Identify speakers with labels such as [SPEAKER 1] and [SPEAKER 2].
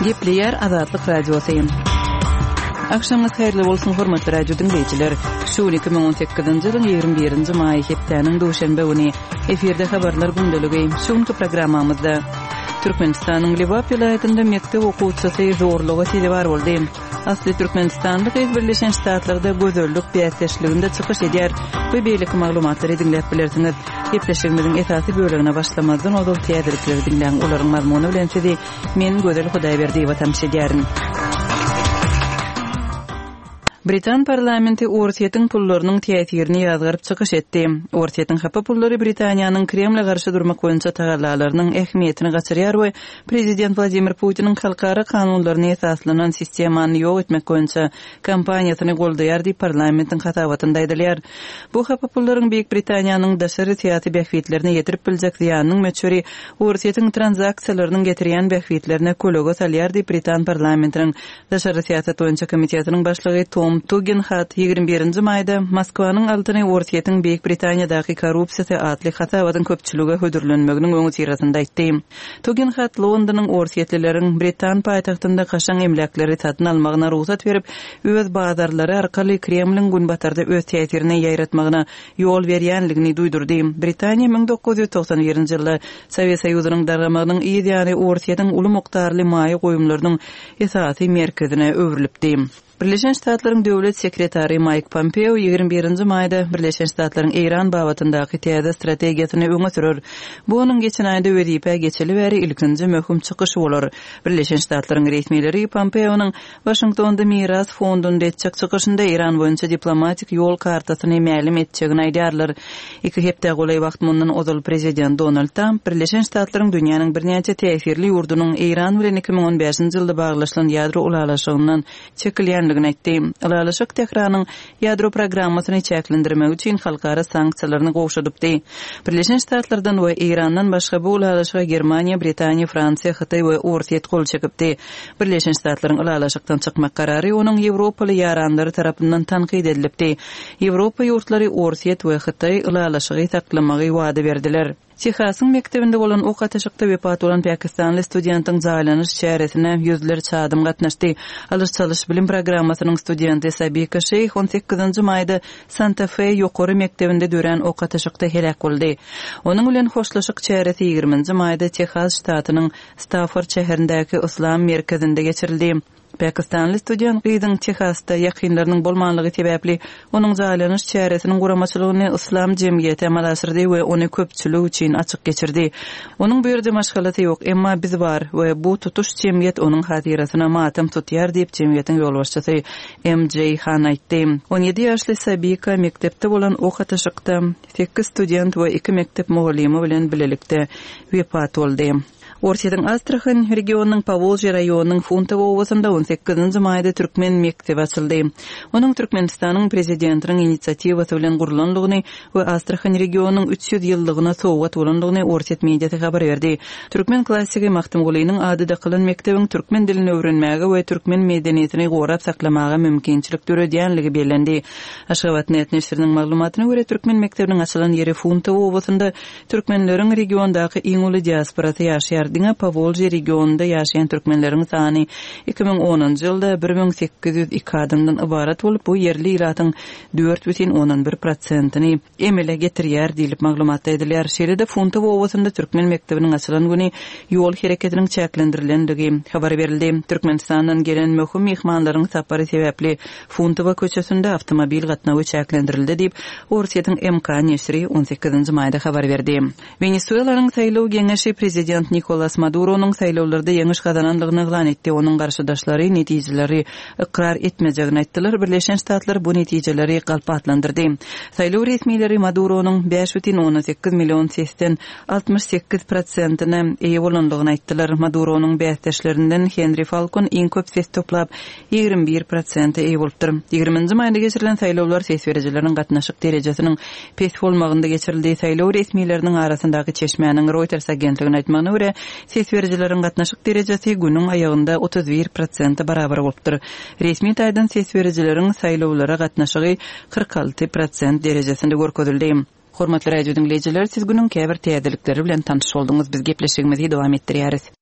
[SPEAKER 1] Gepleýär Azatlyk Radiosy. Agşamyňyz haýyrly bolsun, hormatly radio diňleýjiler. Şu gün 2018-nji ýylyň 21-nji maýy hepdäniň duşenbe güni. Efirde habarlar gündeligi. Şu günki programmamyzda Türkmenistanyň Lebap welaýatynda mekdep okuwçysy zorluga sezewar boldy. Asly türkmenistanly gyz Birleşen Ştatlarda gözellik bäsdeşliginde çykyş edýär we beýleki maglumatlary diňläp bilersiňiz. Gepleşigimiziň esasy bölegine başlamazdan ozal täzelikleri diňläň, olaryň mazmuny bilen sizi men Gözel Hudaýberdiýewa tanyş edýärin. Britan parlamenti Orsýetiň pullarynyň täsirini ýazgaryp çykyş etdi. Orsýetiň hapa pullary Britaniýanyň Kremle garşy durmak boýunça tagallalarynyň ähmiýetini gaçyrýar we Prezident Wladimir Putiniň halkara kanunlaryna esaslanan sistemany ýok etmek boýunça kampaniýasyny goldaýar diýip, parlamentiň hasabatynda aýdylýar. Bu hapa pullaryň Beýik Britaniýanyň daşary syýasy bähbitlerine ýetirip biljek zyýanynyň möçberi Orsýetiň tranzaksiýalarynyň getirýän bähbitlerine kölege salýar diýip, britan parlamentiniň Daşary syýasat boýunça komitetiniň başlygy Tom Tugenhat 21-nji maýda Moskwanyň altyny Orsýetiň Beýik Britaniýadaky korrupsiýasy atly hasabatyň köpçülige hödürlenmeginiň öňüsyrasynda aýtdy. Tugenhat Londonyň orsýetlileriň britan paýtagtynda kaşaň emläkleri satyn almagyna rugsat berip, öz bazarlary arkaly Kremliň Günbatarda öz täsirini ýaýratmagyna ýol berýänligini duýdurdy. Britaniýa 1991-nji ýylda Sowet Soýuzynyň dargamagynyň yz ýany Orsýetiň uly mukdarly maýa goýumlarynyň esasy merkezine öwrülipdi. Birleşen Ştatlaryň Döwlet sekretary Maýk Pompeo 21-nji maýda Birleşen Ştatlaryň Eýran babatyndaky täze strategiýasyny öňe sürer. Bu onuň geçen aýda wezipä geçeli bäri ilkinji möhüm çykyşy bolar. Birleşen Ştatlaryň resmileri Pompeonyň Waşingtonda Miras fondunda etjek çykyşynda Eýran boýunça diplomatik ýol kartasyny mälim etjegini aýdýarlar. Iki hepdä golaý wagt mundan ozal prezident Donald Tramp Birleşen Ştatlaryň dünýäniň birnäçe täsirli ýurdunyň Eýran bilen 2015-nji ýylda baglaşylan ýadro ylalaşygyndan çekilýändigini aýtdy. Ylalaşyk Tähranyň ýadro programmasyny çäklendirmegi üçin halkara sanksiýalaryny gowşadypdy. Birleşen Ştatlardan we Eýrandan başga bu ylalaşyga Germaniýa, Britaniýa, Fransiýa, Hytaý we Orsýet gol çekipdi. Birleşen Ştatlaryň ylalaşykdan çykmak karary onuň ýewropaly ýaranlary tarapyndan tankyt edilipdi. Ýewropa ýurtlary Orsýet we Hytaý ylalaşygy saklamagy wada berdiler. Tehasyň mekdebinde bolan ok atyşykda wepat bolan pakistanly studentiň jaýlanyş çäresine ýüzlerçe adam gatnaşdy. Alyş-çalyş bilim programmasynyň studenti Sabika Şeýh on sekizinji maýda Santa-Fe ýokary mekdebinde dörän ok atyşykda heläk boldy. Onuň bilen hoşlaşyk çäresi ýigriminji maýda Tehas ştatynyň Stafford şäherindäki Yslam merkezinde geçirildi. Pakistanly student gyzyň Tehasda ýakynlarynyň bolmanlygy sebäpli, onuň jaýlanyş çäresiniň guramaçylygyny Yslam jemgyýeti amala aşyrdy we ony köpçülik üçin açyk geçirdi. Onuň bu ýerde maşgalasy ýok, emma biz bar we bu tutuş jemgyýet onuň hatyrasyna matam tutýar diýip, jemgyýetiň ýolbaşçysy MJ Han aýtdy. 17 ýaşly Sabika mekdepde bolan ok atyşykda sekiz student we iki mekdep mugallymy bilen bilelikde wepat boldy. Orsýetiň Astrahan regionynyň Powolžýe raýonynyň Funtowo obasynda on sekizinji maýda türkmen mekdebi açyldy. Onuň Türkmenistanyň Prezidentiniň inisiatiwasy bilen gurlandygyny we Astrahan regionynyň 300 ýyllygyna sowgat bolandygyny orsýet mediasy habar berdi. Türkmen klassigi Magtymgulynyň ady dakylan mekdebiň türkmen dilini öwrenmäge we türkmen medeniýetini gorap saklamaga mümkinçilik döredýänligi bellendi. Aşgabat-net neşiriniň maglumatyna görä, türkmen mekdebiniň açylan ýeri Funtowo obasynda Türkmenleriň regiondaky iň uly diasporasy ýaşaýar. Diňe Powolžýe regionynda ýaşaýan türkmenleriň sany 2010-njy ýylda 1802 adamdan ybarat bolup, bu ýerli ilatyň 4,1 prosentini emele getirýär diýlip, maglumatda aýdylýar. Şeýle-de Funtowo obasynda türkmen mekdebiniň açylan güni ýol hereketiniň çäklendirilendigi habar berildi. Türkmenistandan gelen möhüm myhmanlaryň sapary sebäpli Funtowa köçesinde awtomobil gatnawy çäklendirildi diýip, Orsýetiň MK neşiri on sekizinji maýda habar berdi. Wenesuelanyň saýlaw geňeşi prezident Nikolas Maduronyň saýlawlarda ýeňiş gazanandygyny yglan etdi, onuň garşydaşlary netijeleri ykrar etmejegini aýtdylar, Birleşen Ştatlar bu netijeleri galp atlandyrdy. Saýlaw resmileri Maduronyň 5,8 million sesden 68 prosentine eýe bolandygyny aýtdylar. Maduronyň bäsdeşlerinden Henri Falkon iň köp ses toplap, 21 prosente eýe bolupdyr. Ýigriminji maýda geçirilen saýlawlar ses berijileriň gatnaşyk derejesiniň pes bolmagynda geçirildi. Saýlaw resmileriniň arasyndaky çeşmäniň Reuters agentligine aýtmagyna görä, ses berijileriň gatnaşyk derejesi günüň aýagynda 31 prosente barabar bolupdyr. Resmi taýdan ses berijileriň saýlawlara gatnaşygy 46 prosent derejesinde görkezildi. Hormatly radio diňleýjiler, siz günüň käbir täzelikleri bilen tanyş bolduňyz. Biz gepleşigimizi dowam etdirýäris.